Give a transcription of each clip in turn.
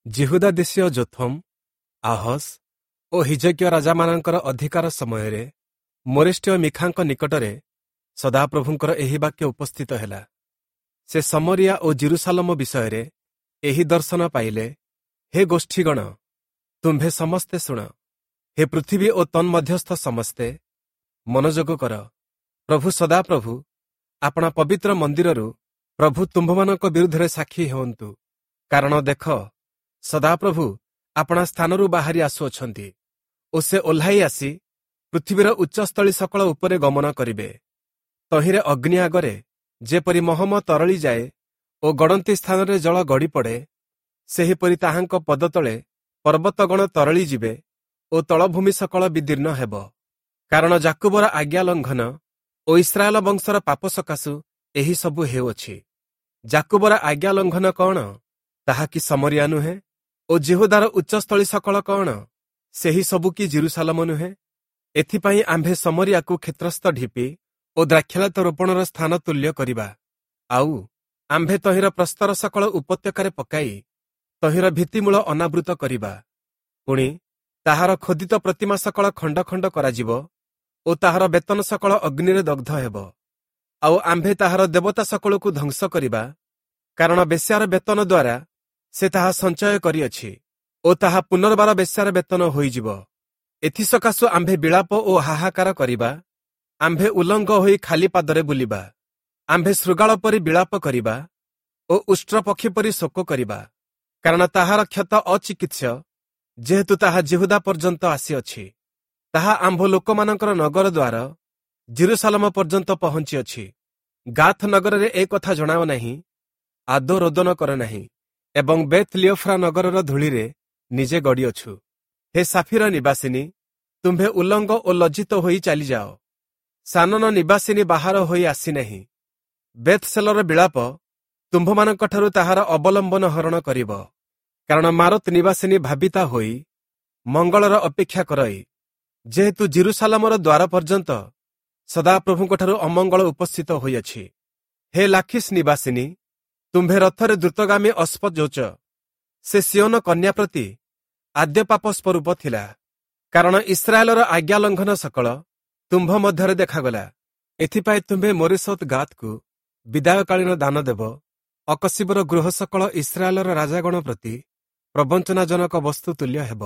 ଯିହୁଦା ଦେଶୀୟ ଯୋଥମ୍, ଆହସ୍ ଓ ହିଜକିୟ ରାଜାମାନଙ୍କର ଅଧିକାର ସମୟରେ ମୋରେଷ୍ଠୀୟ ମିଖାଙ୍କ ନିକଟରେ ସଦାପ୍ରଭୁଙ୍କର ଏହି ବାକ୍ୟ ଉପସ୍ଥିତ ହେଲା। ସେ ସମରିଆ ଓ ଯିରୂଶାଲମ ବିଷୟରେ ଏହି ଦର୍ଶନ ପାଇଲେ। ହେ ଗୋଷ୍ଠୀଗଣ, ତୁମ୍ଭେ ସମସ୍ତେ ଶୁଣ। ହେ ପୃଥିବୀ ଓ ତନ୍ମଧ୍ୟସ୍ଥ ସମସ୍ତେ, ମନୋଯୋଗ କର। ପ୍ରଭୁ ସଦାପ୍ରଭୁ ଆପଣା ପବିତ୍ର ମନ୍ଦିରରୁ ପ୍ରଭୁ ତୁମ୍ଭମାନଙ୍କ ବିରୁଦ୍ଧରେ ସାକ୍ଷୀ ହେଉନ୍ତୁ। କାରଣ ଦେଖ, ସଦାପ୍ରଭୁ ଆପଣା ସ୍ଥାନରୁ ବାହାରି ଆସୁଅଛନ୍ତି ଓ ସେ ଓହ୍ଲାଇ ଆସି ପୃଥିବୀର ଉଚ୍ଚସ୍ଥଳୀ ସକଳ ଉପରେ ଗମନ କରିବେ। ତହିଁରେ ଅଗ୍ନି ଆଗରେ ଯେପରି ମହମ ତରଳି ଯାଏ ଓ ଗଡ଼ନ୍ତି ସ୍ଥାନରେ ଜଳ ଗଡ଼ି ପଡ଼େ, ସେହିପରି ତାହାଙ୍କ ପଦତଳେ ପର୍ବତଗଣ ତରଳି ଯିବେ ଓ ତଳଭୂମି ସକଳ ବିଦୀର୍ଣ୍ଣ ହେବ। କାରଣ ଯାକୁବର ଆଜ୍ଞା ଲଙ୍ଘନ ଓ ଇସ୍ରାଏଲ ବଂଶର ପାପ ସକାଶୁ ଏହି ସବୁ ହେଉଅଛି। ଯାକୁବର ଆଜ୍ଞା ଲଙ୍ଘନ କଣ? ତାହା କି ସମରିଆ ନୁହେଁ? ଓ ଯିହୁଦାର ଉଚ୍ଚସ୍ଥଳୀ ସକଳ କଣ? ସେହି ସବୁ କି ଯିରୂଶାଲମ ନୁହେଁ? ଏଥିପାଇଁ ଆମ୍ଭେ ସମରିଆକୁ କ୍ଷେତ୍ରସ୍ଥ ଢିପି ଓ ଦ୍ରାକ୍ଷାଲତା ରୋପଣର ସ୍ଥାନ ତୁଲ୍ୟ କରିବା। ଆଉ ଆମ୍ଭେ ତହିଁର ପ୍ରସ୍ତର ସକଳ ଉପତ୍ୟକାରେ ପକାଇ ତହିଁର ଭିତ୍ତିମୂଳ ଅନାବୃତ କରିବା। ପୁଣି ତାହାର ଖୋଦିତ ପ୍ରତିମା ସକଳ ଖଣ୍ଡ ଖଣ୍ଡ କରାଯିବ ଓ ତାହାର ବେତନ ସକଳ ଅଗ୍ନିରେ ଦଗ୍ଧ ହେବ। ଆଉ ଆମ୍ଭେ ତାହାର ଦେବତା ସକଳକୁ ଧ୍ୱଂସ କରିବା, କାରଣ ବେଶ୍ୟାର ବେତନ ଦ୍ୱାରା ସେ ତାହା ସଞ୍ଚୟ କରିଅଛି ଓ ତାହା ପୁନର୍ବାର ବେଶ୍ୟାର ବେତନ ହୋଇଯିବ। ଏଥିସକାଶୁ ଆମ୍ଭେ ବିଳାପ ଓ ହାହାକାର କରିବା, ଆମ୍ଭେ ଉଲଙ୍ଗ ହୋଇ ଖାଲି ପାଦରେ ବୁଲିବା। ଆମ୍ଭେ ଶୃଗାଳ ପରି ବିଳାପ କରିବା ଓ ଉଷ୍ଟ୍ର ପକ୍ଷୀ ପରି ଶୋକ କରିବା, କାରଣ ତାହାର କ୍ଷତ ଅଚିକିତ୍ସ୍ୟ, ଯେହେତୁ ତାହା ଯିହୁଦା ପର୍ଯ୍ୟନ୍ତ ଆସିଅଛି। ତାହା ଆମ୍ଭ ଲୋକମାନଙ୍କର ନଗର ଦ୍ୱାର ଯିରୂଶାଲମ ପର୍ଯ୍ୟନ୍ତ ପହଞ୍ଚିଅଛି। ଗାଥ ନଗରରେ ଏ କଥା ଜଣାଅ ନାହିଁ, ଆଦୌ ରୋଦନ କର ନାହିଁ, ଏବଂ ବେଥ୍ ଲିଓଫ୍ରା ନଗରର ଧୂଳିରେ ନିଜେ ଗଡ଼ିଅଛୁ। ହେ ସାଫିର ନିବାସିନୀ, ତୁମ୍ଭେ ଉଲଙ୍ଗ ଓ ଲଜ୍ଜିତ ହୋଇ ଚାଲିଯାଅ। ସାନନ ନିବାସିନୀ ବାହାର ହୋଇ ଆସିନାହିଁ। ବେଥ୍ସେଲର ବିଳାପ ତୁମ୍ଭମାନଙ୍କଠାରୁ ତାହାର ଅବଲମ୍ବନ ହରଣ କରିବ। କାରଣ ମାରତ ନିବାସିନୀ ଭାବିତା ହୋଇ ମଙ୍ଗଳର ଅପେକ୍ଷା କରଇ, ଯେହେତୁ ଯିରୂଶାଲମର ଦ୍ୱାର ପର୍ଯ୍ୟନ୍ତ ସଦାପ୍ରଭୁଙ୍କଠାରୁ ଅମଙ୍ଗଳ ଉପସ୍ଥିତ ହୋଇଅଛି। ହେ ଲାଖିସ୍ ନିବାସିନୀ, ତୁମ୍ଭେ ରଥରେ ଦ୍ରୁତଗାମୀ ଅଶ୍ଵଯୋଚ। ସେ ସିୟୋନ କନ୍ୟା ପ୍ରତି ଆଦ୍ୟ ପାପ ସ୍ୱରୂପ ଥିଲା, କାରଣ ଇସ୍ରାଏଲର ଆଜ୍ଞା ଲଙ୍ଘନ ସକଳ ତୁମ୍ଭ ମଧ୍ୟରେ ଦେଖାଗଲା। ଏଥିପାଇଁ ତୁମ୍ଭେ ମୋରେଶତ୍ ଗାତକୁ ବିଦାୟକାଳୀନ ଦାନ ଦେବ। ଅକଶିବର ଗୃହ ସକଳ ଇସ୍ରାଏଲର ରାଜାଗଣ ପ୍ରତି ପ୍ରବଞ୍ଚନାଜନକ ବସ୍ତୁ ତୁଲ୍ୟ ହେବ।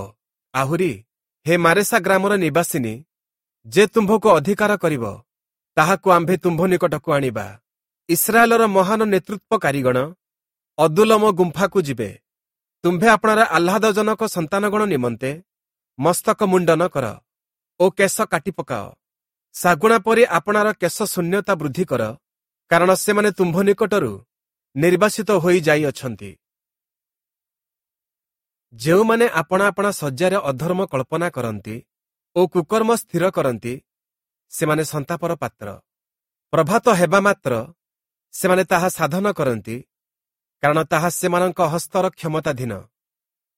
ଆହୁରି ହେ ମାରେସା ଗ୍ରାମର ନିବାସିନୀ, ଯେ ତୁମ୍ଭକୁ ଅଧିକାର କରିବ, ତାହାକୁ ଆମ୍ଭେ ତୁମ୍ଭ ନିକଟକୁ ଆଣିବା। ଇସ୍ରାଏଲର ମହାନ ନେତୃତ୍ୱକାରୀଗଣ ଅଦୁଲମ ଗୁମ୍ଫାକୁ ଯିବେ। ତୁମ୍ଭେ ଆପଣାର ଆହ୍ଲାଦଜନକ ସନ୍ତାନଗଣ ନିମନ୍ତେ ମସ୍ତକ ମୁଣ୍ଡନ କର ଓ କେଶ କାଟି ପକାଅ। ଶାଗୁଣା ପରି ଆପଣାର କେଶ ଶୂନ୍ୟତା ବୃଦ୍ଧି କର, କାରଣ ସେମାନେ ତୁମ୍ଭ ନିକଟରୁ ନିର୍ବାସିତ ହୋଇ ଯାଇଅଛନ୍ତି। ଯେଉଁମାନେ ଆପଣା ଆପଣା ଶଯ୍ୟାରେ ଅଧର୍ମ କଳ୍ପନା କରନ୍ତି ଓ କୁକର୍ମ ସ୍ଥିର କରନ୍ତି, ସେମାନେ ସନ୍ତାପର ପାତ୍ର। ପ୍ରଭାତ ହେବା ମାତ୍ର ସେମାନେ ତାହା ସାଧନ କରନ୍ତି, କାରଣ ତାହା ସେମାନଙ୍କ ହସ୍ତର କ୍ଷମତାଧୀନ।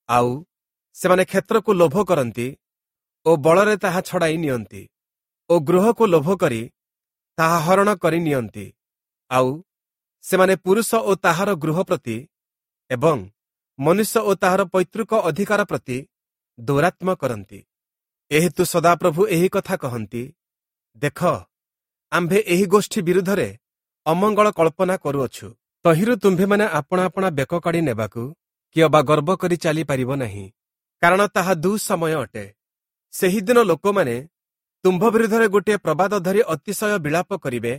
ଆଉ ସେମାନେ କ୍ଷେତ୍ରକୁ ଲୋଭ କରନ୍ତି ଓ ବଳରେ ତାହା ଛଡ଼ାଇ ନିଅନ୍ତି, ଓ ଗୃହକୁ ଲୋଭ କରି ତାହା ହରଣ କରି ନିଅନ୍ତି। ଆଉ ସେମାନେ ପୁରୁଷ ଓ ତାହାର ଗୃହ ପ୍ରତି ଏବଂ ମନୁଷ୍ୟ ଓ ତାହାର ପୈତୃକ ଅଧିକାର ପ୍ରତି ଦୌରାତ୍ମ୍ୟ କରନ୍ତି। ଏହେତୁ ସଦାପ୍ରଭୁ ଏହି କଥା କହନ୍ତି, ଦେଖ, ଆମ୍ଭେ ଏହି ଗୋଷ୍ଠୀ ବିରୁଦ୍ଧରେ ଅମଙ୍ଗଳ କଳ୍ପନା କରୁଅଛୁ। ତହିଁରୁ ତୁମ୍ଭେମାନେ ଆପଣା ଆପଣା ବେକ କାଢ଼ି ନେବାକୁ କି ଅବା ଗର୍ବ କରି ଚାଲିପାରିବ ନାହିଁ, କାରଣ ତାହା ଦୁଃସମୟ ଅଟେ। ସେହିଦିନ ଲୋକମାନେ ତୁମ୍ଭ ବିରୁଦ୍ଧରେ ଗୋଟିଏ ପ୍ରବାଦ ଧରି ଅତିଶୟ ବିଳାପ କରିବେ,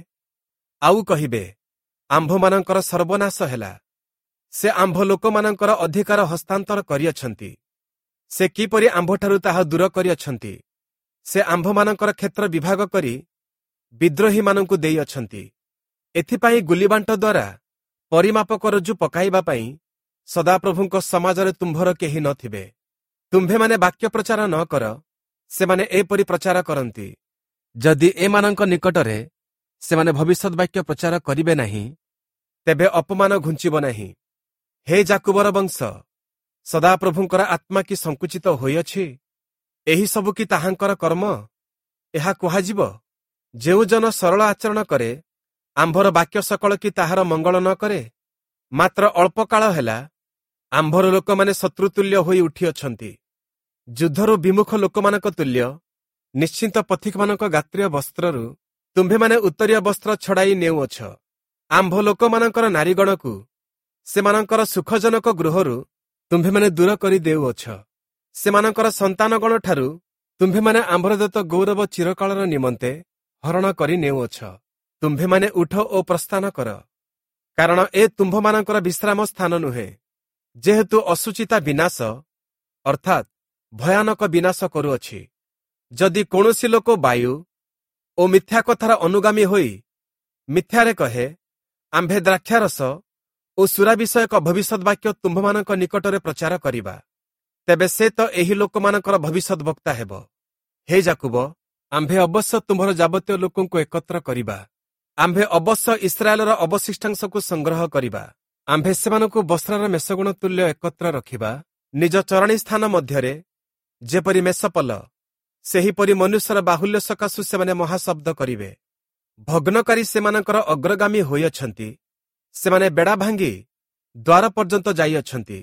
ଆଉ କହିବେ, ଆମ୍ଭମାନଙ୍କର ସର୍ବନାଶ ହେଲା। ସେ ଆମ୍ଭ ଲୋକମାନଙ୍କର ଅଧିକାର ହସ୍ତାନ୍ତର କରିଅଛନ୍ତି। ସେ କିପରି ଆମ୍ଭଠାରୁ ତାହା ଦୂର କରିଅଛନ୍ତି! ସେ ଆମ୍ଭମାନଙ୍କର କ୍ଷେତ୍ର ବିଭାଗ କରି ବିଦ୍ରୋହୀମାନଙ୍କୁ ଦେଇଅଛନ୍ତି। ଏଥିପାଇଁ ଗୁଲିବାଣ୍ଟ ଦ୍ୱାରା ପରିମାପକ ରଜ୍ଜୁ ପକାଇବା ପାଇଁ ସଦାପ୍ରଭୁଙ୍କ ସମାଜରେ ତୁମ୍ଭର କେହି ନଥିବେ। ତୁମ୍ଭେମାନେ ବାକ୍ୟ ପ୍ରଚାର ନ କର, ସେମାନେ ଏପରି ପ୍ରଚାର କରନ୍ତି। ଯଦି ଏମାନଙ୍କ ନିକଟରେ ସେମାନେ ଭବିଷ୍ୟତ ବାକ୍ୟ ପ୍ରଚାର କରିବେ ନାହିଁ, ତେବେ ଅପମାନ ଘୁଞ୍ଚିବ ନାହିଁ। ହେ ଯାକୁବର ବଂଶ, ସଦାପ୍ରଭୁଙ୍କର ଆତ୍ମା କି ସଙ୍କୁଚିତ ହୋଇଅଛି? ଏହି ସବୁ କି ତାହାଙ୍କର କର୍ମ? ଏହା କୁହାଯିବ, ଯେଉଁ ଜନ ସରଳ ଆଚରଣ କରେ, ଆମ୍ଭର ବାକ୍ୟ ସକଳ କି ତାହାର ମଙ୍ଗଳ ନ କରେ? ମାତ୍ର ଅଳ୍ପ କାଳ ହେଲା ଆମ୍ଭର ଲୋକମାନେ ଶତ୍ରୁତୁଲ୍ୟ ହୋଇ ଉଠିଅଛନ୍ତି, ଯୁଦ୍ଧରୁ ବିମୁଖ ଲୋକମାନଙ୍କ ତୁଲ୍ୟ। ନିଶ୍ଚିନ୍ତ ପଥିକମାନଙ୍କ ଗାତ୍ରୀୟ ବସ୍ତ୍ରରୁ ତୁମ୍ଭେମାନେ ଉତ୍ତରୀୟ ବସ୍ତ୍ର ଛଡ଼ାଇ ନେଉଅଛ। ଆମ୍ଭ ଲୋକମାନଙ୍କର ନାରୀଗଣକୁ ସେମାନଙ୍କର ସୁଖଜନକ ଗୃହରୁ ତୁମ୍ଭେମାନେ ଦୂର କରି ଦେଉଅଛ। ସେମାନଙ୍କର ସନ୍ତାନଗଣ ଠାରୁ ତୁମ୍ଭେମାନେ ଆମ୍ଭର ଦତ୍ତ ଗୌରବ ଚିରକାଳର ନିମନ୍ତେ ହରଣ କରି ନେଉଅଛ। ତୁମ୍ଭେମାନେ ଉଠ ଓ ପ୍ରସ୍ଥାନ କର, କାରଣ ଏ ତୁମ୍ଭମାନଙ୍କର ବିଶ୍ରାମ ସ୍ଥାନ ନୁହେଁ। ଯେହେତୁ ଅସୁଚିତା ବିନାଶ ଅର୍ଥାତ୍ ଭୟାନକ ବିନାଶ କରୁଅଛି। ଯଦି କୌଣସି ଲୋକ ବାୟୁ ଓ ମିଥ୍ୟା କଥାର ଅନୁଗାମୀ ହୋଇ ମିଥ୍ୟାରେ କହେ, ଆମ୍ଭେ ଦ୍ରାକ୍ଷାରସ ଓ ସୁରା ବିଷୟକ ଭବିଷ୍ୟତ ବାକ୍ୟ ତୁମ୍ଭମାନଙ୍କ ନିକଟରେ ପ୍ରଚାର କରିବା, ତେବେ ସେ ତ ଏହି ଲୋକମାନଙ୍କର ଭବିଷ୍ୟତ ବକ୍ତା ହେବ। ହେ ଯାକୁବ, ଆମ୍ଭେ ଅବଶ୍ୟ ତୁମ୍ଭର ଯାବତୀୟ ଲୋକଙ୍କୁ ଏକତ୍ର କରିବା। ଆମ୍ଭେ ଅବଶ୍ୟ ଇସ୍ରାଏଲର ଅବଶିଷ୍ଟାଂଶକୁ ସଂଗ୍ରହ କରିବା। ଆମ୍ଭେ ସେମାନଙ୍କୁ ବସ୍ତ୍ରର ମେଷଗୁଣ ତୁଲ୍ୟ ଏକତ୍ର ରଖିବା। ନିଜ ଚରଣୀ ସ୍ଥାନ ମଧ୍ୟରେ ଯେପରି ମେଷପଲ, ସେହିପରି ମନୁଷ୍ୟର ବାହୁଲ୍ୟ ସକାଶୁ ସେମାନେ ମହାଶବ୍ଦ କରିବେ। ଭଗ୍ନକାରୀ ସେମାନଙ୍କର ଅଗ୍ରଗାମୀ ହୋଇଅଛନ୍ତି। ସେମାନେ ବେଡ଼ା ଭାଙ୍ଗି ଦ୍ୱାର ପର୍ଯ୍ୟନ୍ତ ଯାଇଅଛନ୍ତି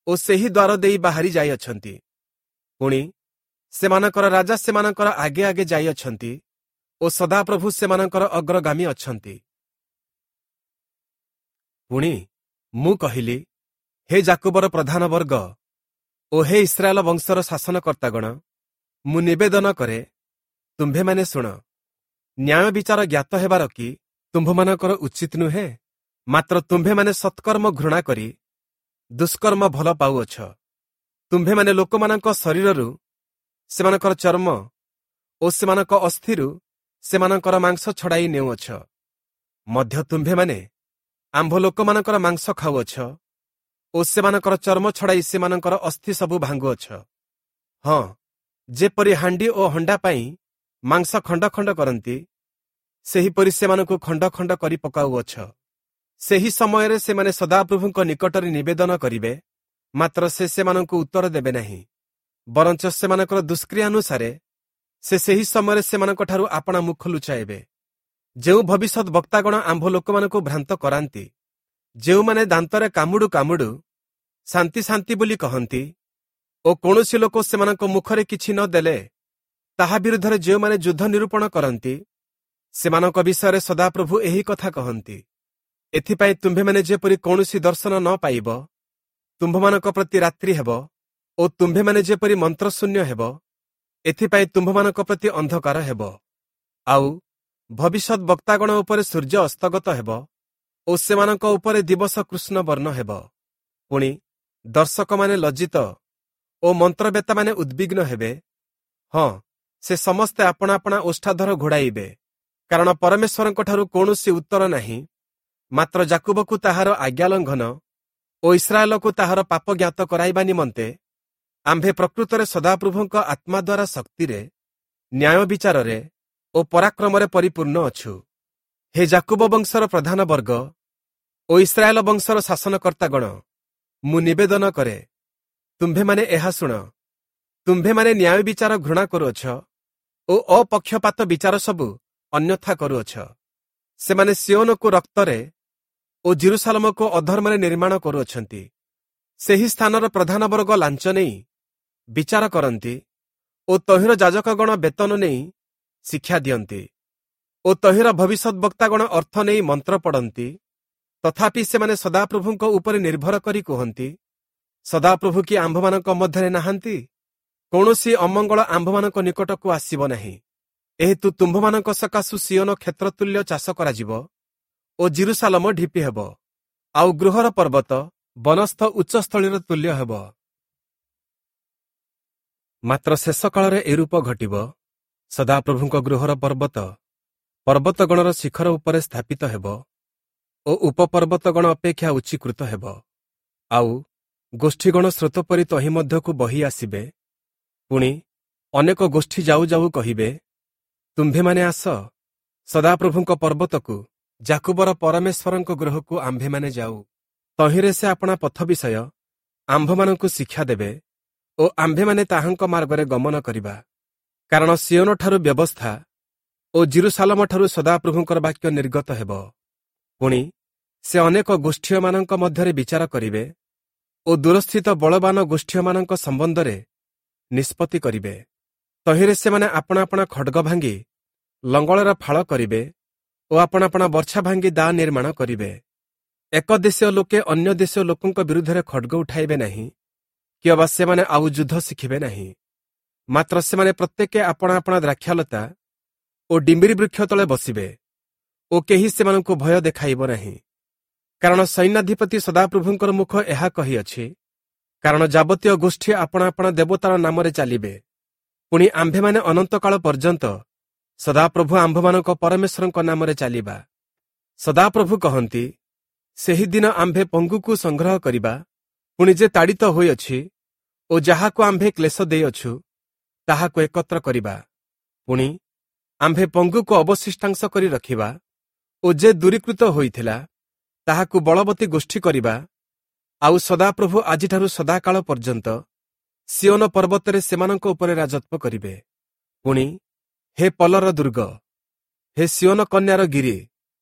ଓ ସେହି ଦ୍ୱାର ଦେଇ ବାହାରି ଯାଇଅଛନ୍ତି। ପୁଣି ସେମାନଙ୍କର ରାଜା ସେମାନଙ୍କର ଆଗେ ଆଗେ ଯାଇଅଛନ୍ତି ଓ ସଦାପ୍ରଭୁ ସେମାନଙ୍କର ଅଗ୍ରଗାମୀ ଅଛନ୍ତି। ପୁଣି ମୁଁ କହିଲି, ହେ ଯାକୁବର ପ୍ରଧାନ ବର୍ଗ ଓ ହେ ଇସ୍ରାଏଲ ବଂଶର ଶାସନକର୍ତ୍ତାଗଣ, ମୁଁ ନିବେଦନ କରେ, ତୁମ୍ଭେମାନେ ଶୁଣ। ନ୍ୟାୟ ବିଚାର ଜ୍ଞାତ ହେବାର କି ତୁମ୍ଭମାନଙ୍କର ଉଚିତ ନୁହେଁ? ମାତ୍ର ତୁମ୍ଭେମାନେ ସତ୍କର୍ମ ଘୃଣା କରି ଦୁଷ୍କର୍ମ ଭଲ ପାଉଅଛ। ତୁମ୍ଭେମାନେ ଲୋକମାନଙ୍କ ଶରୀରରୁ ସେମାନଙ୍କର ଚର୍ମ ଓ ସେମାନଙ୍କ ଅସ୍ଥିରୁ ସେମାନଙ୍କର ମାଂସ ଛଡ଼ାଇ ନେଉଅଛ। ମଧ୍ୟ ତୁମ୍ଭେମାନେ ଆମ୍ଭ ଲୋକମାନଙ୍କର ମାଂସ ଖାଉଅଛ ଓ ସେମାନଙ୍କର ଚର୍ମ ଛଡ଼ାଇ ସେମାନଙ୍କର ଅସ୍ଥି ସବୁ ଭାଙ୍ଗୁଅଛ। ହଁ, ଯେପରି ହାଣ୍ଡି ଓ ହଣ୍ଡା ପାଇଁ ମାଂସ ଖଣ୍ଡ ଖଣ୍ଡ କରନ୍ତି, ସେହିପରି ସେମାନଙ୍କୁ ଖଣ୍ଡ ଖଣ୍ଡ କରି ପକାଉଅଛ। ସେହି ସମୟରେ ସେମାନେ ସଦାପ୍ରଭୁଙ୍କ ନିକଟରେ ନିବେଦନ କରିବେ, ମାତ୍ର ସେ ସେମାନଙ୍କୁ ଉତ୍ତର ଦେବେ ନାହିଁ। ବରଞ୍ଚ ସେମାନଙ୍କର ଦୁଷ୍କ୍ରିୟାନୁସାରେ ସେ ସେହି ସମୟରେ ସେମାନଙ୍କଠାରୁ ଆପଣା ମୁଖ ଲୁଚାଇବେ। ଯେଉଁ ଭବିଷ୍ୟତ ବକ୍ତାଗଣ ଆମ୍ଭ ଲୋକମାନଙ୍କୁ ଭ୍ରାନ୍ତ କରାନ୍ତି, ଯେଉଁମାନେ ଦାନ୍ତରେ କାମୁଡୁ କାମୁଡୁ ଶାନ୍ତି ଶାନ୍ତି ବୋଲି କହନ୍ତି ଓ କୌଣସି ଲୋକ ସେମାନଙ୍କ ମୁଖରେ କିଛି ନ ଦେଲେ ତାହା ବିରୁଦ୍ଧରେ ଯେଉଁମାନେ ଯୁଦ୍ଧ ନିରୂପଣ କରନ୍ତି, ସେମାନଙ୍କ ବିଷୟରେ ସଦାପ୍ରଭୁ ଏହି କଥା କହନ୍ତି। ଏଥିପାଇଁ ତୁମ୍ଭେମାନେ ଯେପରି କୌଣସି ଦର୍ଶନ ନ ପାଇବ, ତୁମ୍ଭମାନଙ୍କ ପ୍ରତି ରାତ୍ରି ହେବ ଓ ତୁମ୍ଭେମାନେ ଯେପରି ମନ୍ତ୍ରଶୂନ୍ୟ ହେବ, ଏଥିପାଇଁ ତୁମ୍ଭମାନଙ୍କ ପ୍ରତି ଅନ୍ଧକାର ହେବ। ଆଉ ଭବିଷ୍ୟତ ବକ୍ତାଗଣ ଉପରେ ସୂର୍ଯ୍ୟ ଅସ୍ତଗତ ହେବ ଓ ସେମାନଙ୍କ ଉପରେ ଦିବସ କୃଷ୍ଣ ବର୍ଣ୍ଣ ହେବ। ପୁଣି ଦର୍ଶକମାନେ ଲଜ୍ଜିତ ଓ ମନ୍ତ୍ରବେତାମାନେ ଉଦ୍ବିଗ୍ନ ହେବେ। ହଁ, ସେ ସମସ୍ତେ ଆପଣା ଆପଣା ଓଷ୍ଠାଧର ଘୋଡ଼ାଇବେ, କାରଣ ପରମେଶ୍ୱରଙ୍କଠାରୁ କୌଣସି ଉତ୍ତର ନାହିଁ। ମାତ୍ର ଯାକୁବକୁ ତାହାର ଆଜ୍ଞା ଲଙ୍ଘନ ଓ ଇସ୍ରାଏଲକୁ ତାହାର ପାପ ଜ୍ଞାତ କରାଇବା ନିମନ୍ତେ ଆମ୍ଭେ ପ୍ରକୃତରେ ସଦାପ୍ରଭୁଙ୍କ ଆତ୍ମା ଦ୍ୱାରା ଶକ୍ତିରେ, ନ୍ୟାୟ ବିଚାରରେ ଓ ପରାକ୍ରମରେ ପରିପୂର୍ଣ୍ଣ ଅଛୁ। ହେ ଯାକୁବ ବଂଶର ପ୍ରଧାନ ବର୍ଗ ଓ ଇସ୍ରାଏଲ ବଂଶର ଶାସନକର୍ତ୍ତାଗଣ, ମୁଁ ନିବେଦନ କରେ, ତୁମ୍ଭେମାନେ ଏହା ଶୁଣ। ତୁମ୍ଭେମାନେ ନ୍ୟାୟ ବିଚାର ଘୃଣା କରୁଅଛ ଓ ଅପକ୍ଷପାତ ବିଚାର ସବୁ ଅନ୍ୟଥା କରୁଅଛ। ସେମାନେ ସିଓନକୁ ରକ୍ତରେ ଓ ଜିରୁସାଲମକୁ ଅଧର୍ମରେ ନିର୍ମାଣ କରୁଅଛନ୍ତି। ସେହି ସ୍ଥାନର ପ୍ରଧାନ ବର୍ଗ ଲାଞ୍ଚ ନେଇ ବିଚାର କରନ୍ତି ଓ ତହିଁର ଯାଜକଗଣ ବେତନ ନେଇ ଶିକ୍ଷା ଦିଅନ୍ତି ଓ ତହିଁର ଭବିଷ୍ୟତ ବକ୍ତାଗଣ ଅର୍ଥ ନେଇ ମନ୍ତ୍ର ପଡ଼ନ୍ତି। ତଥାପି ସେମାନେ ସଦାପ୍ରଭୁଙ୍କ ଉପରେ ନିର୍ଭର କରି କୁହନ୍ତି, ସଦାପ୍ରଭୁ କି ଆମ୍ଭମାନଙ୍କ ମଧ୍ୟରେ ନାହାନ୍ତି? କୌଣସି ଅମଙ୍ଗଳ ଆମ୍ଭମାନଙ୍କ ନିକଟକୁ ଆସିବ ନାହିଁ। ଏହେତୁ ତୁମ୍ଭମାନଙ୍କ ସକାଶୁ ସିଓନ କ୍ଷେତ୍ରତୁଲ୍ୟ ଚାଷ କରାଯିବ ଓ ଜିରୁସାଲମ ଢିପି ହେବ, ଆଉ ଗୃହର ପର୍ବତ ବନସ୍ଥ ଉଚ୍ଚସ୍ଥଳୀର ତୁଲ୍ୟ ହେବ। ମାତ୍ର ଶେଷ କାଳରେ ଏରୂପ ଘଟିବ, ସଦାପ୍ରଭୁଙ୍କ ଗୃହର ପର୍ବତ ପର୍ବତଗଣର ଶିଖର ଉପରେ ସ୍ଥାପିତ ହେବ ଓ ଉପପର୍ବତଗଣ ଅପେକ୍ଷା ଉଚ୍ଚୀକୃତ ହେବ। ଆଉ ଗୋଷ୍ଠୀଗଣ ସ୍ରୋତ ପରି ତହିଁ ମଧ୍ୟକୁ ବହି ଆସିବେ। ପୁଣି ଅନେକ ଗୋଷ୍ଠୀ ଯାଉ ଯାଉ କହିବେ, ତୁମ୍ଭେମାନେ ଆସ, ସଦାପ୍ରଭୁଙ୍କ ପର୍ବତକୁ, ଯାକୁବର ପରମେଶ୍ୱରଙ୍କ ଗୃହକୁ ଆମ୍ଭେମାନେ ଯାଉ। ତହିଁରେ ସେ ଆପଣା ପଥ ବିଷୟ ଆମ୍ଭମାନଙ୍କୁ ଶିକ୍ଷା ଦେବେ ଓ ଆମ୍ଭେମାନେ ତାହାଙ୍କ ମାର୍ଗରେ ଗମନ କରିବା। କାରଣ ସିଓନଠାରୁ ବ୍ୟବସ୍ଥା ଓ ଜିରୁସାଲମଠାରୁ ସଦାପ୍ରଭୁଙ୍କର ବାକ୍ୟ ନିର୍ଗତ ହେବ। ପୁଣି ସେ ଅନେକ ଗୋଷ୍ଠୀୟମାନଙ୍କ ମଧ୍ୟରେ ବିଚାର କରିବେ ଓ ଦୂରସ୍ଥିତ ବଳବାନ ଗୋଷ୍ଠୀୟମାନଙ୍କ ସମ୍ବନ୍ଧରେ ନିଷ୍ପତ୍ତି କରିବେ। ତହିଁରେ ସେମାନେ ଆପଣା ଆପଣା ଖଡ଼ଗ ଭାଙ୍ଗି ଲଙ୍ଗଳର ଫାଳ କରିବେ ଓ ଆପଣା ଆପଣା ବର୍ଚ୍ଛା ଭାଙ୍ଗି ଦା ନିର୍ମାଣ କରିବେ। ଏକ ଦେଶୀୟ ଲୋକେ ଅନ୍ୟ ଦେଶୀୟ ଲୋକଙ୍କ ବିରୁଦ୍ଧରେ ଖଡ଼ଗ ଉଠାଇବେ ନାହିଁ, କିଅବା ସେମାନେ ଆଉ ଯୁଦ୍ଧ ଶିଖିବେ ନାହିଁ। ମାତ୍ର ସେମାନେ ପ୍ରତ୍ୟେକେ ଆପଣା ଆପଣା ଦ୍ରାକ୍ଷାଲତା ଓ ଡିମ୍ବିରି ବୃକ୍ଷ ତଳେ ବସିବେ ଓ କେହି ସେମାନଙ୍କୁ ଭୟ ଦେଖାଇବ ନାହିଁ। କାରଣ ସୈନ୍ୟାଧିପତି ସଦାପ୍ରଭୁଙ୍କର ମୁଖ ଏହା କହିଅଛି, କାରଣ ଯାବତୀୟ ଗୋଷ୍ଠୀ ଆପଣା ଆପଣା ଦେବତାର ନାମରେ ଚାଲିବେ। ପୁଣି ଆମ୍ଭେମାନେ ଅନନ୍ତକାଳ ପର୍ଯ୍ୟନ୍ତ ସଦାପ୍ରଭୁ ଆମ୍ଭମାନଙ୍କ ପରମେଶ୍ୱରଙ୍କ ନାମରେ ଚାଲିବା। ସଦାପ୍ରଭୁ କହନ୍ତି, ସେହି ଦିନ ଆମ୍ଭେ ପଙ୍ଗୁକୁ ସଂଗ୍ରହ କରିବା, ପୁଣି ଯେ ତାଡ଼ିତ ହୋଇଅଛି ଓ ଯାହାକୁ ଆମ୍ଭେ କ୍ଲେଶ ଦେଇଅଛୁ ତାହାକୁ ଏକତ୍ର କରିବା। ପୁଣି ଆମ୍ଭେ ପଙ୍ଗୁକୁ ଅବଶିଷ୍ଟାଂଶ କରି ରଖିବା ଓ ଯେ ଦୂରୀକୃତ ହୋଇଥିଲା ତାହାକୁ ବଳବତୀ ଗୋଷ୍ଠୀ କରିବା। ଆଉ ସଦାପ୍ରଭୁ ଆଜିଠାରୁ ସଦାକାଳ ପର୍ଯ୍ୟନ୍ତ ସିଓନ ପର୍ବତରେ ସେମାନଙ୍କ ଉପରେ ରାଜତ୍ୱ କରିବେ। ପୁଣି ହେ ପଲର ଦୁର୍ଗ, ହେ ସିଓନ କନ୍ୟାର ଗିରି,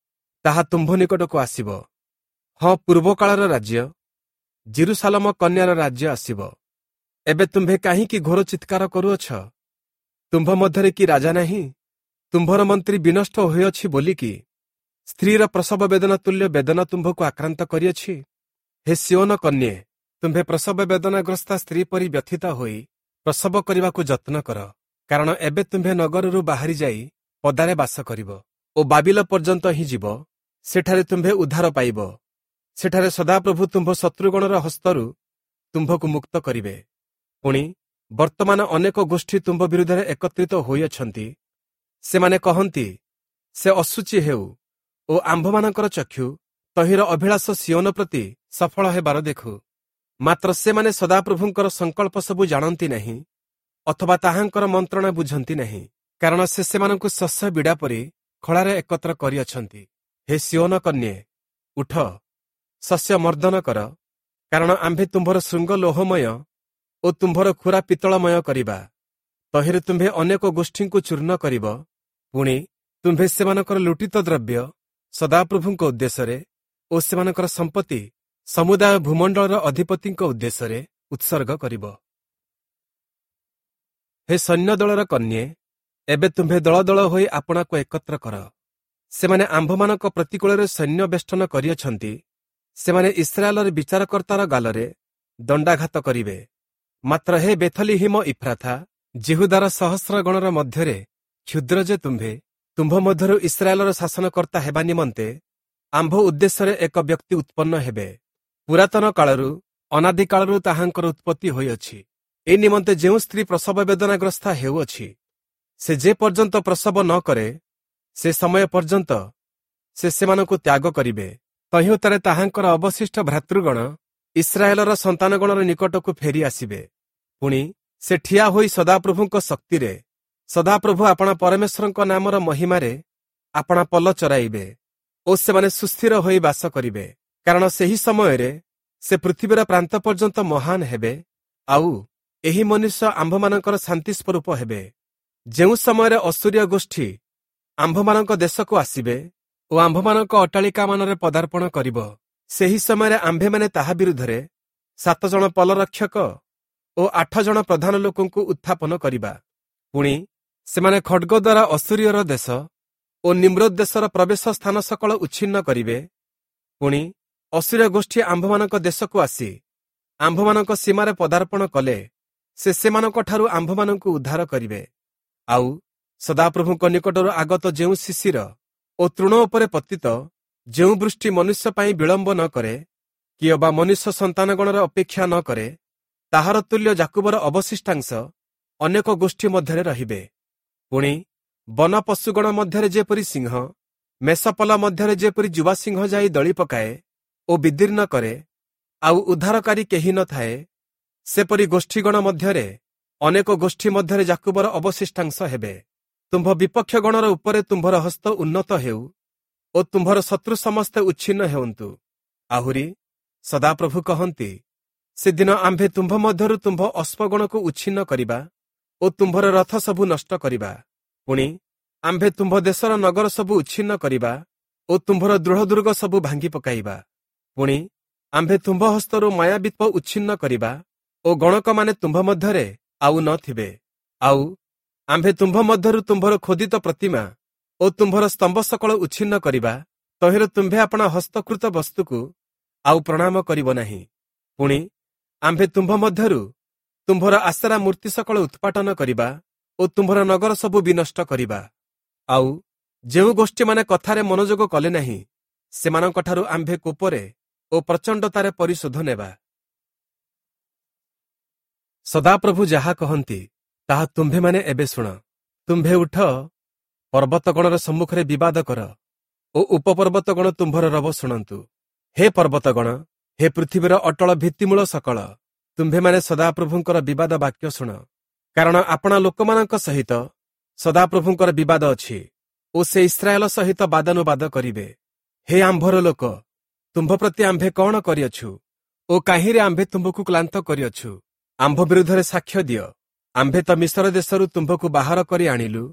ତାହା ତୁମ୍ଭ ନିକଟକୁ ଆସିବ। ହଁ, ପୂର୍ବକାଳର ରାଜ୍ୟ, ଜିରୁସାଲମ କନ୍ୟାର ରାଜ୍ୟ ଆସିବ। ଏବେ ତୁମ୍ଭେ କାହିଁକି ଘୋର ଚିତ୍କାର କରୁଅଛ? ତୁମ୍ଭ ମଧ୍ୟରେ କି ରାଜା ନାହିଁ? ତୁମ୍ଭର ମନ୍ତ୍ରୀ ବିନଷ୍ଟ ହୋଇଅଛି ବୋଲିକି ସ୍ତ୍ରୀର ପ୍ରସବ ବେଦନା ତୁଲ୍ୟ ବେଦନା ତୁମ୍ଭକୁ ଆକ୍ରାନ୍ତ କରିଅଛି? ହେ ସିଓନ କନ୍ୟେ, ତୁମ୍ଭେ ପ୍ରସବ ବେଦନାଗ୍ରସ୍ତା ସ୍ତ୍ରୀ ପରି ବ୍ୟଥିତ ହୋଇ ପ୍ରସବ କରିବାକୁ ଯତ୍ନ କର, କାରଣ ଏବେ ତୁମ୍ଭେ ନଗରରୁ ବାହାରି ଯାଇ ପଦାରେ ବାସ କରିବ ଓ ବାବିଲ ପର୍ଯ୍ୟନ୍ତ ହିଁ ଯିବ। ସେଠାରେ ତୁମ୍ଭେ ଉଦ୍ଧାର ପାଇବ। ସେଠାରେ ସଦାପ୍ରଭୁ ତୁମ୍ଭ ଶତ୍ରୁଗଣର ହସ୍ତରୁ ତୁମ୍ଭକୁ ମୁକ୍ତ କରିବେ। ପୁଣି ବର୍ତ୍ତମାନ ଅନେକ ଗୋଷ୍ଠୀ ତୁମ୍ଭ ବିରୁଦ୍ଧରେ ଏକତ୍ରିତ ହୋଇଅଛନ୍ତି। ସେମାନେ କହନ୍ତି, ସେ ଅଶୁଚି ହେଉ ଓ ଆମ୍ଭମାନଙ୍କର ଚକ୍ଷୁ ତହିଁର ଅଭିଳାଷ ସିଓନ ପ୍ରତି ସଫଳ ହେବାର ଦେଖୁ। ମାତ୍ର ସେମାନେ ସଦାପ୍ରଭୁଙ୍କର ସଂକଳ୍ପ ସବୁ ଜାଣନ୍ତି ନାହିଁ, ଅଥବା ତାହାଙ୍କର ମନ୍ତ୍ରଣା ବୁଝନ୍ତି ନାହିଁ, କାରଣ ସେ ସେମାନଙ୍କୁ ଶସ୍ୟ ବିଡ଼ା ପରି ଖଳାରେ ଏକତ୍ର କରିଅଛନ୍ତି। ହେ ସିଓନ କନ୍ୟେ, ଉଠ, ଶସ୍ୟ ମର୍ଦ୍ଦନ କର, କାରଣ ଆମ୍ଭେ ତୁମ୍ଭର ଶୃଙ୍ଗ ଲୋହମୟ ଓ ତୁମ୍ଭର ଖୁରା ପିତ୍ତଳମୟ କରିବା। ତହିଁରେ ତୁମ୍ଭେ ଅନେକ ଗୋଷ୍ଠୀଙ୍କୁ ଚୂର୍ଣ୍ଣ କରିବ। ପୁଣି ତୁମ୍ଭେ ସେମାନଙ୍କର ଲୁଟିତ ଦ୍ରବ୍ୟ ସଦାପ୍ରଭୁଙ୍କ ଉଦ୍ଦେଶ୍ୟରେ ଓ ସେମାନଙ୍କର ସମ୍ପତ୍ତି ସମୁଦାୟ ଭୂମଣ୍ଡଳର ଅଧିପତିଙ୍କ ଉଦ୍ଦେଶ୍ୟରେ ଉତ୍ସର୍ଗ କରିବ। ହେ ସୈନ୍ୟଦଳର କନ୍ୟେ, ଏବେ ତୁମ୍ଭେ ଦଳ ଦଳ ହୋଇ ଆପଣାକୁ ଏକତ୍ର କର। ସେମାନେ ଆମ୍ଭମାନଙ୍କ ପ୍ରତିକୂଳରେ ସୈନ୍ୟ ବେଷ୍ଟନ କରିଅଛନ୍ତି। ସେମାନେ ଇସ୍ରାଏଲର ବିଚାରକର୍ତ୍ତାର ଗାଲରେ ଦଣ୍ଡାଘାତ କରିବେ। ମାତ୍ର ହେ ବେଥଲିହିମ ଇଫ୍ରାଥା, ଯିହୁଦାର ସହସ୍ର ଗଣର ମଧ୍ୟରେ କ୍ଷୁଦ୍ର ଯେ ତୁମ୍ଭେ, ତୁମ୍ଭ ମଧ୍ୟରୁ ଇସ୍ରାଏଲର ଶାସନକର୍ତ୍ତା ହେବା ନିମନ୍ତେ ଆମ୍ଭ ଉଦ୍ଦେଶ୍ୟରେ ଏକ ବ୍ୟକ୍ତି ଉତ୍ପନ୍ନ ହେବେ। ପୁରାତନ କାଳରୁ ଅନାଦିକାଳରୁ ତାହାଙ୍କର ଉତ୍ପତ୍ତି ହୋଇଅଛି। ଏ ନିମନ୍ତେ ଯେଉଁ ସ୍ତ୍ରୀ ପ୍ରସବ ବେଦନାଗ୍ରସ୍ତା ହେଉଅଛି, ସେ ଯେ ପର୍ଯ୍ୟନ୍ତ ପ୍ରସବ ନ କରେ ସେ ସମୟ ପର୍ଯ୍ୟନ୍ତ ସେ ସେମାନଙ୍କୁ ତ୍ୟାଗ କରିବେ। ତହିଁଉତ୍ତାରେ ତାହାଙ୍କର ଅବଶିଷ୍ଟ ଭ୍ରାତୃଗଣ ଇସ୍ରାଏଲର ସନ୍ତାନଗଣର ନିକଟକୁ ଫେରି ଆସିବେ। ପୁଣି ସେ ଠିଆ ହୋଇ ସଦାପ୍ରଭୁଙ୍କ ଶକ୍ତିରେ, ସଦାପ୍ରଭୁ ଆପଣା ପରମେଶ୍ୱରଙ୍କ ନାମର ମହିମାରେ ଆପଣା ପଲ ଚରାଇବେ ଓ ସେମାନେ ସୁସ୍ଥିର ହୋଇ ବାସ କରିବେ। କାରଣ ସେହି ସମୟରେ ସେ ପୃଥିବୀର ପ୍ରାନ୍ତ ପର୍ଯ୍ୟନ୍ତ ମହାନ ହେବେ, ଆଉ ଏହି ମନୁଷ୍ୟ ଆମ୍ଭମାନଙ୍କର ଶାନ୍ତି ସ୍ୱରୂପ ହେବେ। ଯେଉଁ ସମୟରେ ଅସୂରୀୟ ଗୋଷ୍ଠୀ ଆମ୍ଭମାନଙ୍କ ଦେଶକୁ ଆସିବେ ଓ ଆମ୍ଭମାନଙ୍କ ଅଟ୍ଟାଳିକାମାନରେ ପଦାର୍ପଣ କରିବ, ସେହି ସମୟରେ ଆମ୍ଭେମାନେ ତାହା ବିରୁଦ୍ଧରେ 7 ଜଣ ପଲରକ୍ଷକ ଓ 8 ଜଣ ପ୍ରଧାନ ଲୋକଙ୍କୁ ଉତ୍ଥାପନ କରିବା। ପୁଣି ସେମାନେ ଖଡ଼ଗ ଦ୍ୱାରା ଅସୂରୀୟର ଦେଶ ଓ ନିମ୍ରୋଦ ଦେଶର ପ୍ରବେଶ ସ୍ଥାନ ସକଳ ଉଚ୍ଛିନ୍ନ କରିବେ। ପୁଣି ଅସୂରୀୟ ଗୋଷ୍ଠୀ ଆମ୍ଭମାନଙ୍କ ଦେଶକୁ ଆସି ଆମ୍ଭମାନଙ୍କ ସୀମାରେ ପଦାର୍ପଣ କଲେ ସେ ସେମାନଙ୍କଠାରୁ ଆମ୍ଭମାନଙ୍କୁ ଉଦ୍ଧାର କରିବେ। ଆଉ ସଦାପ୍ରଭୁଙ୍କ ନିକଟରୁ ଆଗତ ଯେଉଁ ଶିଶିର ଓ ତୃଣ ଉପରେ ପତିତ ଯେଉଁ ବୃଷ୍ଟି ମନୁଷ୍ୟ ପାଇଁ ବିଳମ୍ବ ନ କରେ, କିଅବା ମନୁଷ୍ୟ ସନ୍ତାନଗଣର ଅପେକ୍ଷା ନ କରେ, ତାହାର ତୁଲ୍ୟ ଯାକୁବର ଅବଶିଷ୍ଟାଂଶ ଅନେକ ଗୋଷ୍ଠୀ ମଧ୍ୟରେ ରହିବେ। ପୁଣି ବନ ପଶୁଗଣ ମଧ୍ୟରେ ଯେପରି ସିଂହ, ମେଷପଲ ମଧ୍ୟରେ ଯେପରି ଯୁବା ସିଂହ ଯାଇ ଦଳି ପକାଏ ଓ ବିଦୀର୍ଣ୍ଣ କରେ, ଆଉ ଉଦ୍ଧାରକାରୀ କେହି ନଥାଏ, ସେପରି ଗୋଷ୍ଠୀଗଣ ମଧ୍ୟରେ ଅନେକ ଗୋଷ୍ଠୀ ମଧ୍ୟରେ ଯାକୁବର ଅବଶିଷ୍ଟାଂଶ ହେବେ। ତୁମ୍ଭ ବିପକ୍ଷ ଗଣର ଉପରେ ତୁମ୍ଭର ହସ୍ତ ଉନ୍ନତ ହେଉ ଓ ତୁମ୍ଭର ଶତ୍ରୁ ସମସ୍ତେ ଉଚ୍ଛିନ୍ନ ହେଉନ୍ତୁ। ଆହୁରି ସଦାପ୍ରଭୁ କହନ୍ତି, ସେଦିନ ଆମ୍ଭେ ତୁମ୍ଭ ମଧ୍ୟରୁ ତୁମ୍ଭ ଅଶ୍ମଗଣକୁ ଉଚ୍ଛିନ୍ନ କରିବା ଓ ତୁମ୍ଭର ରଥ ସବୁ ନଷ୍ଟ କରିବା। ପୁଣି ଆମ୍ଭେ ତୁମ୍ଭ ଦେଶର ନଗର ସବୁ ଉଚ୍ଛିନ୍ନ କରିବା ଓ ତୁମ୍ଭର ଦୃଢ଼ ଦୁର୍ଗ ସବୁ ଭାଙ୍ଗି ପକାଇବା। ପୁଣି ଆମ୍ଭେ ତୁମ୍ଭ ହସ୍ତରୁ ମାୟାବିତ୍ୱ ଉଚ୍ଛିନ୍ନ କରିବା ଓ ଗଣକମାନେ ତୁମ୍ଭ ମଧ୍ୟରେ ଆଉ ନଥିବେ। ଆଉ ଆମ୍ଭେ ତୁମ୍ଭ ମଧ୍ୟରୁ ତୁମ୍ଭର ଖୋଦିତ ପ୍ରତିମା ଓ ତୁମ୍ଭର ସ୍ତମ୍ଭ ସକଳ ଉଚ୍ଛିନ୍ନ କରିବା। ତହିଁରେ ତୁମ୍ଭେ ଆପଣା ହସ୍ତକୃତ ବସ୍ତୁକୁ ଆଉ ପ୍ରଣାମ କରିବ ନାହିଁ। ପୁଣି ଆମ୍ଭେ ତୁମ୍ଭ ମଧ୍ୟରୁ ତୁମ୍ଭର ଆଶରା ମୂର୍ତ୍ତି ସକଳ ଉତ୍ପାଟନ କରିବା ଓ ତୁମ୍ଭର ନଗର ସବୁ ବିନଷ୍ଟ କରିବା। ଆଉ ଯେଉଁ ଗୋଷ୍ଠୀମାନେ କଥାରେ ମନୋଯୋଗ କଲେ ନାହିଁ, ସେମାନଙ୍କଠାରୁ ଆମ୍ଭେ କୋପରେ ଓ ପ୍ରଚଣ୍ଡତାରେ ପରିଶୋଧ ନେବା। ସଦାପ୍ରଭୁ ଯାହା କହନ୍ତି, ତାହା ତୁମ୍ଭେମାନେ ଏବେ ଶୁଣ। ତୁମ୍ଭେ ଉଠ, ପର୍ବତଗଣର ସମ୍ମୁଖରେ ବିବାଦ କର ଓ ଉପପର୍ବତଗଣ ତୁମ୍ଭର ରବ ଶୁଣନ୍ତୁ। ହେ ପର୍ବତଗଣ, ହେ ପୃଥିବୀର ଅଟଳ ଭିତ୍ତିମୂଳ ସକଳ, ତୁମ୍ଭେମାନେ ସଦାପ୍ରଭୁଙ୍କର ବିବାଦ ବାକ୍ୟ ଶୁଣ। କାରଣ ଆପଣା ଲୋକମାନଙ୍କ ସହିତ ସଦାପ୍ରଭୁଙ୍କର ବିବାଦ ଅଛି ଓ ସେ ଇସ୍ରାଏଲ ସହିତ ବାଦାନୁବାଦ କରିବେ। ହେ ଆମ୍ଭର ଲୋକ, ତୁମ୍ଭ ପ୍ରତି ଆମ୍ଭେ କଣ କରିଅଛୁ ଓ କାହିଁରେ ଆମ୍ଭେ ତୁମ୍ଭକୁ କ୍ଳାନ୍ତ କରିଅଛୁ? ଆମ୍ଭ ବିରୁଦ୍ଧରେ ସାକ୍ଷ୍ୟ ଦିଅ। ଆମ୍ଭେ ତ ମିଶର ଦେଶରୁ ତୁମ୍ଭକୁ ବାହାର କରି ଆଣିଲୁ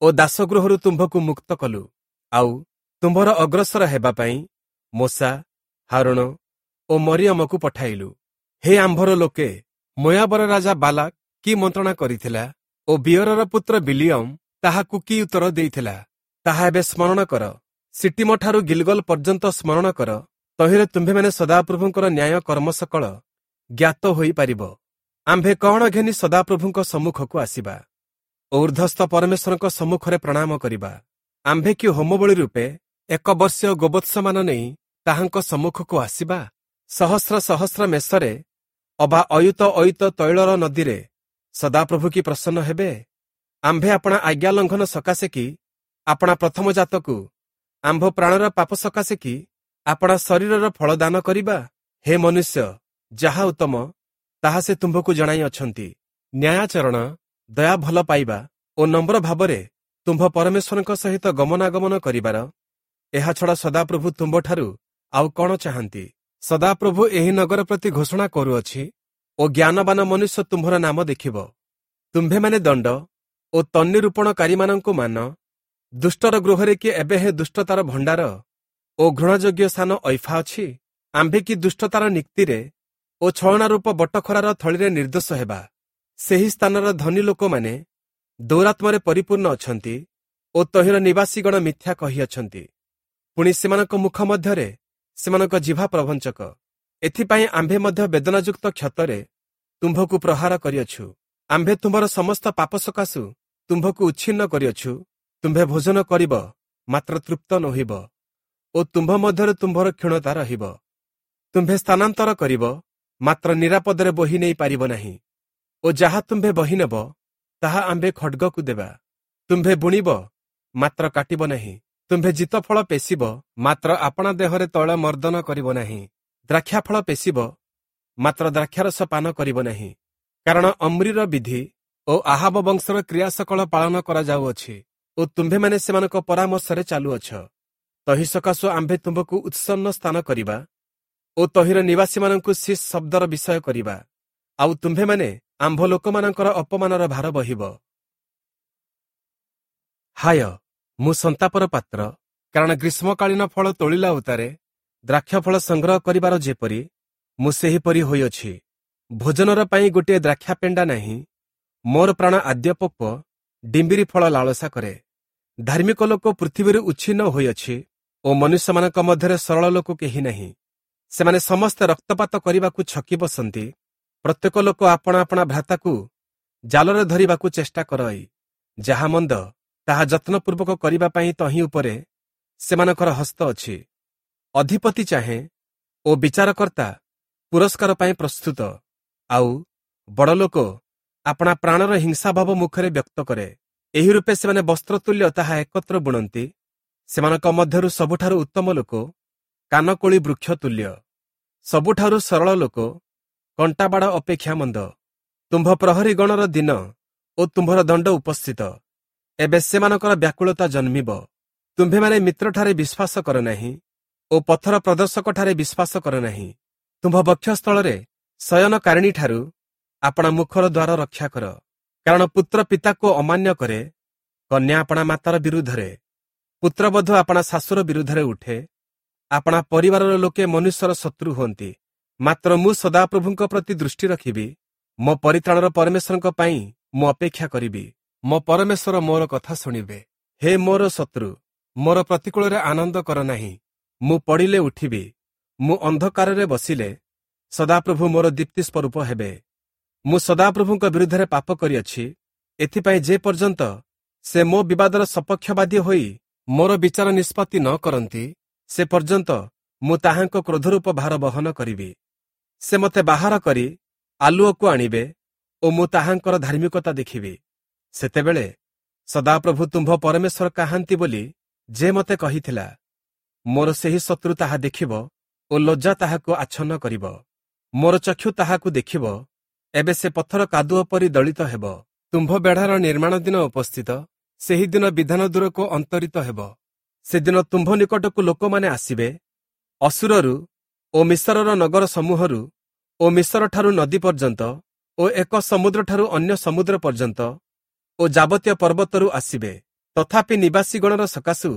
ଓ ଦାସଗୃହରୁ ତୁମ୍ଭକୁ ମୁକ୍ତ କଲୁ। ଆଉ ତୁମ୍ଭର ଅଗ୍ରସର ହେବା ପାଇଁ ମୋଶା, ହାରୋଣ ଓ ମରିୟମକୁ ପଠାଇଲୁ। ହେ ଆମ୍ଭର ଲୋକେ, ମୋୟାବର ରାଜା ବାଲାକ କି ମନ୍ତ୍ରଣା କରିଥିଲା ଓ ବିୟରର ପୁତ୍ର ବିଲିୟମ ତାହାକୁ କି ଉତ୍ତର ଦେଇଥିଲା, ତାହା ଏବେ ସ୍ମରଣ କର। ସିଟିମଠାରୁ ଗିଲଗଲ ପର୍ଯ୍ୟନ୍ତ ସ୍ମରଣ କର। ତହିଁରେ ତୁମ୍ଭେମାନେ ସଦାପ୍ରଭୁଙ୍କର ନ୍ୟାୟ କର୍ମ ସକଳ ଜ୍ଞାତ ହୋଇପାରିବ। ଆମ୍ଭେ କଣ ଘେନି ସଦାପ୍ରଭୁଙ୍କ ସମ୍ମୁଖକୁ ଆସିବା ଓ ଉର୍ଦ୍ଧ୍ୱସ୍ଥ ପରମେଶ୍ୱରଙ୍କ ସମ୍ମୁଖରେ ପ୍ରଣାମ କରିବା? ଆମ୍ଭେ କି ହୋମବଳି ରୂପେ ଏକ ବର୍ଷୀୟ ଗୋବତ୍ସମାନ ନେଇ ତାହାଙ୍କ ସମ୍ମୁଖକୁ ଆସିବା? ସହସ୍ର ସହସ୍ର ମେଷରେ ଅବା ଅୟୁତ ଅୟୁତ ତୈଳର ନଦୀରେ ସଦାପ୍ରଭୁ କି ପ୍ରସନ୍ନ ହେବେ? ଆମ୍ଭେ ଆପଣା ଆଜ୍ଞା ଲଙ୍ଘନ ସକାଶେ କି ଆପଣା ପ୍ରଥମ ଜାତକୁ, ଆମ୍ଭ ପ୍ରାଣର ପାପ ସକାଶେ କି ଆପଣା ଶରୀରର ଫଳ ଦାନ କରିବା? ହେ ମନୁଷ୍ୟ, ଯାହା ଉତ୍ତମ ତାହା ସେ ତୁମ୍ଭକୁ ଜଣାଇ ଅଛନ୍ତି। ନ୍ୟାୟାଚରଣ, ଦୟା ଭଲ ପାଇବା ଓ ନମ୍ର ଭାବରେ ତୁମ୍ଭ ପରମେଶ୍ୱରଙ୍କ ସହିତ ଗମନାଗମନ କରିବାର, ଏହା ଛଡ଼ା ସଦାପ୍ରଭୁ ତୁମ୍ଭଠାରୁ ଆଉ କଣ ଚାହାନ୍ତି? ସଦାପ୍ରଭୁ ଏହି ନଗର ପ୍ରତି ଘୋଷଣା କରୁଅଛି ଓ ଜ୍ଞାନବାନ ମନୁଷ୍ୟ ତୁମ୍ଭର ନାମ ଦେଖିବ। ତୁମ୍ଭେମାନେ ଦଣ୍ଡ ଓ ତନ୍ନି ରୋପଣକାରୀମାନଙ୍କୁ ମାନ। ଦୁଷ୍ଟର ଗୃହରେ କି ଏବେ ହେ ଦୁଷ୍ଟତାର ଭଣ୍ଡାର ଓ ଘୃଣାଯୋଗ୍ୟ ସ୍ଥାନ ଐଫା ଅଛି? ଆମ୍ଭେ କି ଦୁଷ୍ଟତାର ନିକ୍ତିରେ ଓ ଛଳନା ରୂପ ବଟଖରାର ଥଳିରେ ନିର୍ଦ୍ଦୋଷ ହେବା? ସେହି ସ୍ଥାନର ଧନୀ ଲୋକମାନେ ଦୌରାତ୍ମରେ ପରିପୂର୍ଣ୍ଣ ଅଛନ୍ତି ଓ ତହିଁର ନିବାସୀଗଣ ମିଥ୍ୟା କହିଅଛନ୍ତି। ପୁଣି ସେମାନଙ୍କ ମୁଖ ମଧ୍ୟରେ ସେମାନଙ୍କ ଜିଭା ପ୍ରବଞ୍ଚକ। ଏଥିପାଇଁ ଆମ୍ଭେ ମଧ୍ୟ ବେଦନାଯୁକ୍ତ କ୍ଷତରେ ତୁମ୍ଭକୁ ପ୍ରହାର କରିଅଛୁ। ଆମ୍ଭେ ତୁମ୍ଭର ସମସ୍ତ ପାପ ସକାଶୁ ତୁମ୍ଭକୁ ଉଚ୍ଛିନ୍ନ କରିଅଛୁ। ତୁମ୍ଭେ ଭୋଜନ କରିବ, ମାତ୍ର ତୃପ୍ତ ନୋହିବ ଓ ତୁମ୍ଭ ମଧ୍ୟରେ ତୁମ୍ଭର କ୍ଷୀଣତା ରହିବ। ତୁମ୍ଭେ ସ୍ଥାନାନ୍ତର କରିବ, ମାତ୍ର ନିରାପଦରେ ବୋହି ନେଇ ପାରିବ ନାହିଁ ଓ ଯାହା ତୁମ୍ଭେ ବହି ନେବ, ତାହା ଆମ୍ଭେ ଖଡ୍ଗକୁ ଦେବା। ତୁମ୍ଭେ ବୁଣିବ, ମାତ୍ର କାଟିବ ନାହିଁ। ତୁମ୍ଭେ ଜିତଫଳ ପେଶିବ, ମାତ୍ର ଆପଣା ଦେହରେ ତୈଳ ମର୍ଦ୍ଦନ କରିବ ନାହିଁ। ଦ୍ରାକ୍ଷାଫଳ ପେଶିବ, ମାତ୍ର ଦ୍ରାକ୍ଷାରସ ପାନ କରିବ ନାହିଁ। କାରଣ ଅମ୍ରିର ବିଧି ଓ ଆହାବ ବଂଶର କ୍ରିୟା ସକଳ ପାଳନ କରାଯାଉଅଛି ଓ ତୁମ୍ଭେମାନେ ସେମାନଙ୍କ ପରାମର୍ଶରେ ଚାଲୁଅଛ। ତହିଁ ସକାଶୁ ଆମ୍ଭେ ତୁମ୍ଭକୁ ଉତ୍ସନ୍ନ ସ୍ଥାନ କରିବା ଓ ତହିଁର ନିବାସୀମାନଙ୍କୁ ଶୀଷ ଶବ୍ଦର ବିଷୟ କରିବା। ଆଉ ତୁମ୍ଭେମାନେ ଆମ୍ଭ ଲୋକମାନଙ୍କର ଅପମାନର ଭାର ବହିବ। ହାୟ, ମୁଁ ସନ୍ତାପର ପାତ୍ର, କାରଣ ଗ୍ରୀଷ୍ମକାଳୀନ ଫଳ ତୋଳିଲା ଉତ୍ତାରେ ଦ୍ରାକ୍ଷାଫଳ ସଂଗ୍ରହ କରିବାର ଯେପରି, ମୁଁ ସେହିପରି ହୋଇଅଛି। ଭୋଜନର ପାଇଁ ଗୋଟିଏ ଦ୍ରାକ୍ଷା ପେଣ୍ଡା ନାହିଁ। ମୋର ପ୍ରାଣ ଆଦ୍ୟପକ୍ୱ ଡିମ୍ବିରି ଫଳ ଲାଳସା କରେ। ଧାର୍ମିକ ଲୋକ ପୃଥିବୀରୁ ଉଚ୍ଛିନ୍ନ ହୋଇଅଛି ଓ ମନୁଷ୍ୟମାନଙ୍କ ମଧ୍ୟରେ ସରଳ ଲୋକ କେହି ନାହିଁ। ସେମାନେ ସମସ୍ତେ ରକ୍ତପାତ କରିବାକୁ ଛକି ବସନ୍ତି। ପ୍ରତ୍ୟେକ ଲୋକ ଆପଣା ଆପଣା ଭ୍ରାତାକୁ ଜାଲରେ ଧରିବାକୁ ଚେଷ୍ଟା କରଇ। ଯାହା ମନ୍ଦ ତାହା ଯତ୍ନପୂର୍ବକ କରିବା ପାଇଁ ତହିଁ ଉପରେ ସେମାନଙ୍କର ହସ୍ତ ଅଛି। ଅଧିପତି ଚାହେଁ ଓ ବିଚାରକର୍ତ୍ତା ପୁରସ୍କାର ପାଇଁ ପ୍ରସ୍ତୁତ। ଆଉ ବଡ଼ ଲୋକ ଆପଣା ପ୍ରାଣର ହିଂସାଭାବ ମୁଖରେ ବ୍ୟକ୍ତ କରେ। ଏହି ରୂପେ ସେମାନେ ବସ୍ତ୍ରତୁଲ୍ୟ ତାହା ଏକତ୍ର ବୁଣନ୍ତି। ସେମାନଙ୍କ ମଧ୍ୟରୁ ସବୁଠାରୁ ଉତ୍ତମ ଲୋକ କାନକୋଳି ବୃକ୍ଷ ତୁଲ୍ୟ, ସବୁଠାରୁ ସରଳ ଲୋକ କଣ୍ଟାବାଡ଼ ଅପେକ୍ଷା ମନ୍ଦ। ତୁମ୍ଭ ପ୍ରହରୀଗଣର ଦିନ ଓ ତୁମ୍ଭର ଦଣ୍ଡ ଉପସ୍ଥିତ। ଏବେ ସେମାନଙ୍କର ବ୍ୟାକୁଳତା ଜନ୍ମିବ। ତୁମ୍ଭେମାନେ ମିତ୍ରଠାରେ ବିଶ୍ୱାସ କର ନାହିଁ ଓ ପଥର ପ୍ରଦର୍ଶକଠାରେ ବିଶ୍ୱାସ କର ନାହିଁ। ତୁମ୍ଭ ବକ୍ଷସ୍ଥଳରେ ଶୟନକାରିଣୀଠାରୁ ଆପଣା ମୁଖର ଦ୍ୱାର ରକ୍ଷା କର। କାରଣ ପୁତ୍ର ପିତାକୁ ଅମାନ୍ୟ କରେ, କନ୍ୟା ଆପଣା ମାତାର ବିରୁଦ୍ଧରେ, ପୁତ୍ରବଧୂ ଆପଣା ଶାଶୁର ବିରୁଦ୍ଧରେ ଉଠେ। ଆପଣା ପରିବାରର ଲୋକେ ମନୁଷ୍ୟର ଶତ୍ରୁ ହୁଅନ୍ତି। ମାତ୍ର ମୁଁ ସଦାପ୍ରଭୁଙ୍କ ପ୍ରତି ଦୃଷ୍ଟି ରଖିବି, ମୋ ପରିତ୍ରାଣର ପରମେଶ୍ୱରଙ୍କ ପାଇଁ ମୁଁ ଅପେକ୍ଷା କରିବି। ମୋ ପରମେଶ୍ୱର ମୋର କଥା ଶୁଣିବେ। ହେ ମୋର ଶତ୍ରୁ, ମୋର ପ୍ରତିକୂଳରେ ଆନନ୍ଦ କର ନାହିଁ। ମୁଁ ପଡ଼ିଲେ ଉଠିବି। ମୁଁ ଅନ୍ଧକାରରେ ବସିଲେ ସଦାପ୍ରଭୁ ମୋର ଦୀପ୍ତି ସ୍ୱରୂପ ହେବେ। ମୁଁ ସଦାପ୍ରଭୁଙ୍କ ବିରୁଦ୍ଧରେ ପାପ କରିଅଛି। ଏଥିପାଇଁ ଯେ ପର୍ଯ୍ୟନ୍ତ ସେ ମୋ ବିବାଦର ସପକ୍ଷବାଦୀ ହୋଇ ମୋର ବିଚାର ନିଷ୍ପତ୍ତି ନ କରନ୍ତି, ସେ ପର୍ଯ୍ୟନ୍ତ ମୁଁ ତାହାଙ୍କ କ୍ରୋଧରୂପ ଭାର ବହନ କରିବି। ସେ ମୋତେ ବାହାର କରି ଆଲୁଅକୁ ଆଣିବେ ଓ ମୁଁ ତାହାଙ୍କର ଧାର୍ମିକତା ଦେଖିବି। ସେତେବେଳେ ସଦାପ୍ରଭୁ ତୁମ୍ଭ ପରମେଶ୍ୱର କାହାନ୍ତି ବୋଲି ଯେ ମୋତେ କହିଥିଲା, ମୋର ସେହି ଶତ୍ରୁ ତାହା ଦେଖିବ ଓ ଲଜ୍ଜା ତାହାକୁ ଆଚ୍ଛନ୍ନ କରିବ। ମୋର ଚକ୍ଷୁ ତାହାକୁ ଦେଖିବ, ଏବେ ସେ ପଥର କାଦୁଅ ପରି ଦଳିତ ହେବ। ତୁମ୍ଭ ବେଢ଼ାର ନିର୍ମାଣ ଦିନ ଉପସ୍ଥିତ, ସେହି ଦିନ ବିଧାନ ଦୂରକୁ ଅନ୍ତରିତ ହେବ। ସେଦିନ ତୁମ୍ଭ ନିକଟକୁ ଲୋକମାନେ ଆସିବେ, ଅଶୂରରୁ ଓ ମିଶରର ନଗର ସମୂହରୁ ଓ ମିଶରଠାରୁ ନଦୀ ପର୍ଯ୍ୟନ୍ତ ଓ ଏକ ସମୁଦ୍ରଠାରୁ ଅନ୍ୟ ସମୁଦ୍ର ପର୍ଯ୍ୟନ୍ତ ଓ ଯାବତୀୟ ପର୍ବତରୁ ଆସିବେ। ତଥାପି ନିବାସୀଗଣର ସକାଶୁ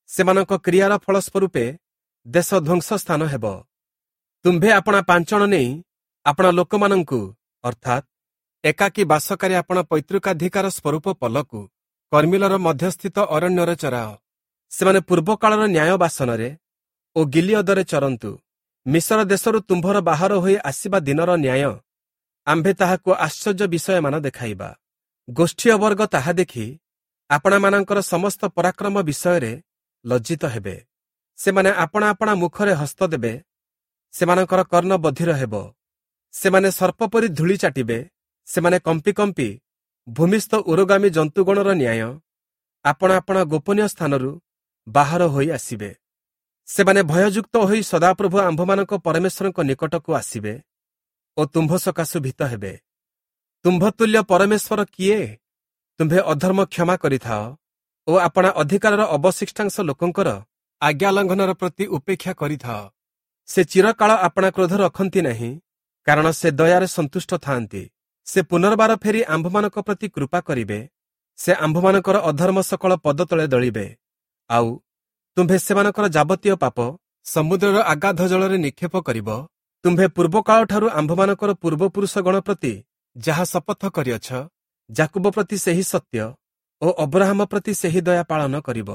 ସେମାନଙ୍କ କ୍ରିୟାର ଫଳସ୍ୱରୂପେ ଦେଶ ଧ୍ୱଂସ ସ୍ଥାନ ହେବ। ତୁମ୍ଭେ ଆପଣା ପାଞ୍ଚଣ ନେଇ ଆପଣା ଲୋକମାନଙ୍କୁ, ଅର୍ଥାତ୍ ଏକାକୀ ବାସକାରୀ ଆପଣା ପୈତୃକାଧିକାର ସ୍ୱରୂପ ପଲକୁ କର୍ମିଲର ମଧ୍ୟସ୍ଥିତ ଅରଣ୍ୟରେ ଚରାଅ। ସେମାନେ ପୂର୍ବକାଳର ନ୍ୟାୟ ବାସନରେ ଓ ଗିଲିୟଦରେ ଚରନ୍ତୁ। ମିଶର ଦେଶରୁ ତୁମ୍ଭର ବାହାର ହୋଇ ଆସିବା ଦିନର ନ୍ୟାୟ ଆମ୍ଭେ ତାହାକୁ ଆଶ୍ଚର୍ଯ୍ୟ ବିଷୟମାନ ଦେଖାଇବା। ଗୋଷ୍ଠୀୟ ବର୍ଗ ତାହା ଦେଖି ଆପଣାମାନଙ୍କର ସମସ୍ତ ପରାକ୍ରମ ବିଷୟରେ ଲଜ୍ଜିତ ହେବେ। ସେମାନେ ଆପଣା ଆପଣା ମୁଖରେ ହସ୍ତ ଦେବେ, ସେମାନଙ୍କର କର୍ଣ୍ଣ ବଧିର ହେବ। ସେମାନେ ସର୍ପ ପରି ଧୂଳି ଚାଟିବେ। ସେମାନେ କମ୍ପି କମ୍ପି ଭୂମିସ୍ଥ ଉରୋଗାମୀ ଜନ୍ତୁଗଣର ନ୍ୟାୟ ଆପଣା ଆପଣା ଗୋପନୀୟ ସ୍ଥାନରୁ ବାହାର ହୋଇ ଆସିବେ। ସେମାନେ ଭୟଯୁକ୍ତ ହୋଇ ସଦାପ୍ରଭୁ ଆମ୍ଭମାନଙ୍କ ପରମେଶ୍ୱରଙ୍କ ନିକଟକୁ ଆସିବେ ଓ ତୁମ୍ଭ ସକାଶୁ ଭୀତ ହେବେ। ତୁମ୍ଭ ତୁଲ୍ୟ ପରମେଶ୍ୱର କିଏ? ତୁମ୍ଭେ ଅଧର୍ମ କ୍ଷମା କରିଥାଅ ଓ ଆପଣା ଅଧିକାରର ଅବଶିଷ୍ଟାଂଶ ଲୋକଙ୍କର ଆଜ୍ଞା ଲଙ୍ଘନର ପ୍ରତି ଉପେକ୍ଷା କରିଥାଅ। ସେ ଚିରକାଳ ଆପଣା କ୍ରୋଧ ରଖନ୍ତି ନାହିଁ, କାରଣ ସେ ଦୟାରେ ସନ୍ତୁଷ୍ଟ ଥାଆନ୍ତି। ସେ ପୁନର୍ବାର ଫେରି ଆମ୍ଭମାନଙ୍କ ପ୍ରତି କୃପା କରିବେ। ସେ ଆମ୍ଭମାନଙ୍କର ଅଧର୍ମ ସକଳ ପଦ ତଳେ ଦଳିବେ। ଆଉ ତୁମ୍ଭେ ସେମାନଙ୍କର ଯାବତୀୟ ପାପ ସମୁଦ୍ରର ଅଗାଧ ଜଳରେ ନିକ୍ଷେପ କରିବ। ତୁମ୍ଭେ ପୂର୍ବକାଳଠାରୁ ଆମ୍ଭମାନଙ୍କର ପୂର୍ବପୁରୁଷଗଣ ପ୍ରତି ଯାହା ଶପଥ କରିଅଛ, ଯାକୁବ ପ୍ରତି ସେହି ସତ୍ୟ ଓ ଅବ୍ରାହମ ପ୍ରତି ସେହି ଦୟା ପାଳନ କରିବ।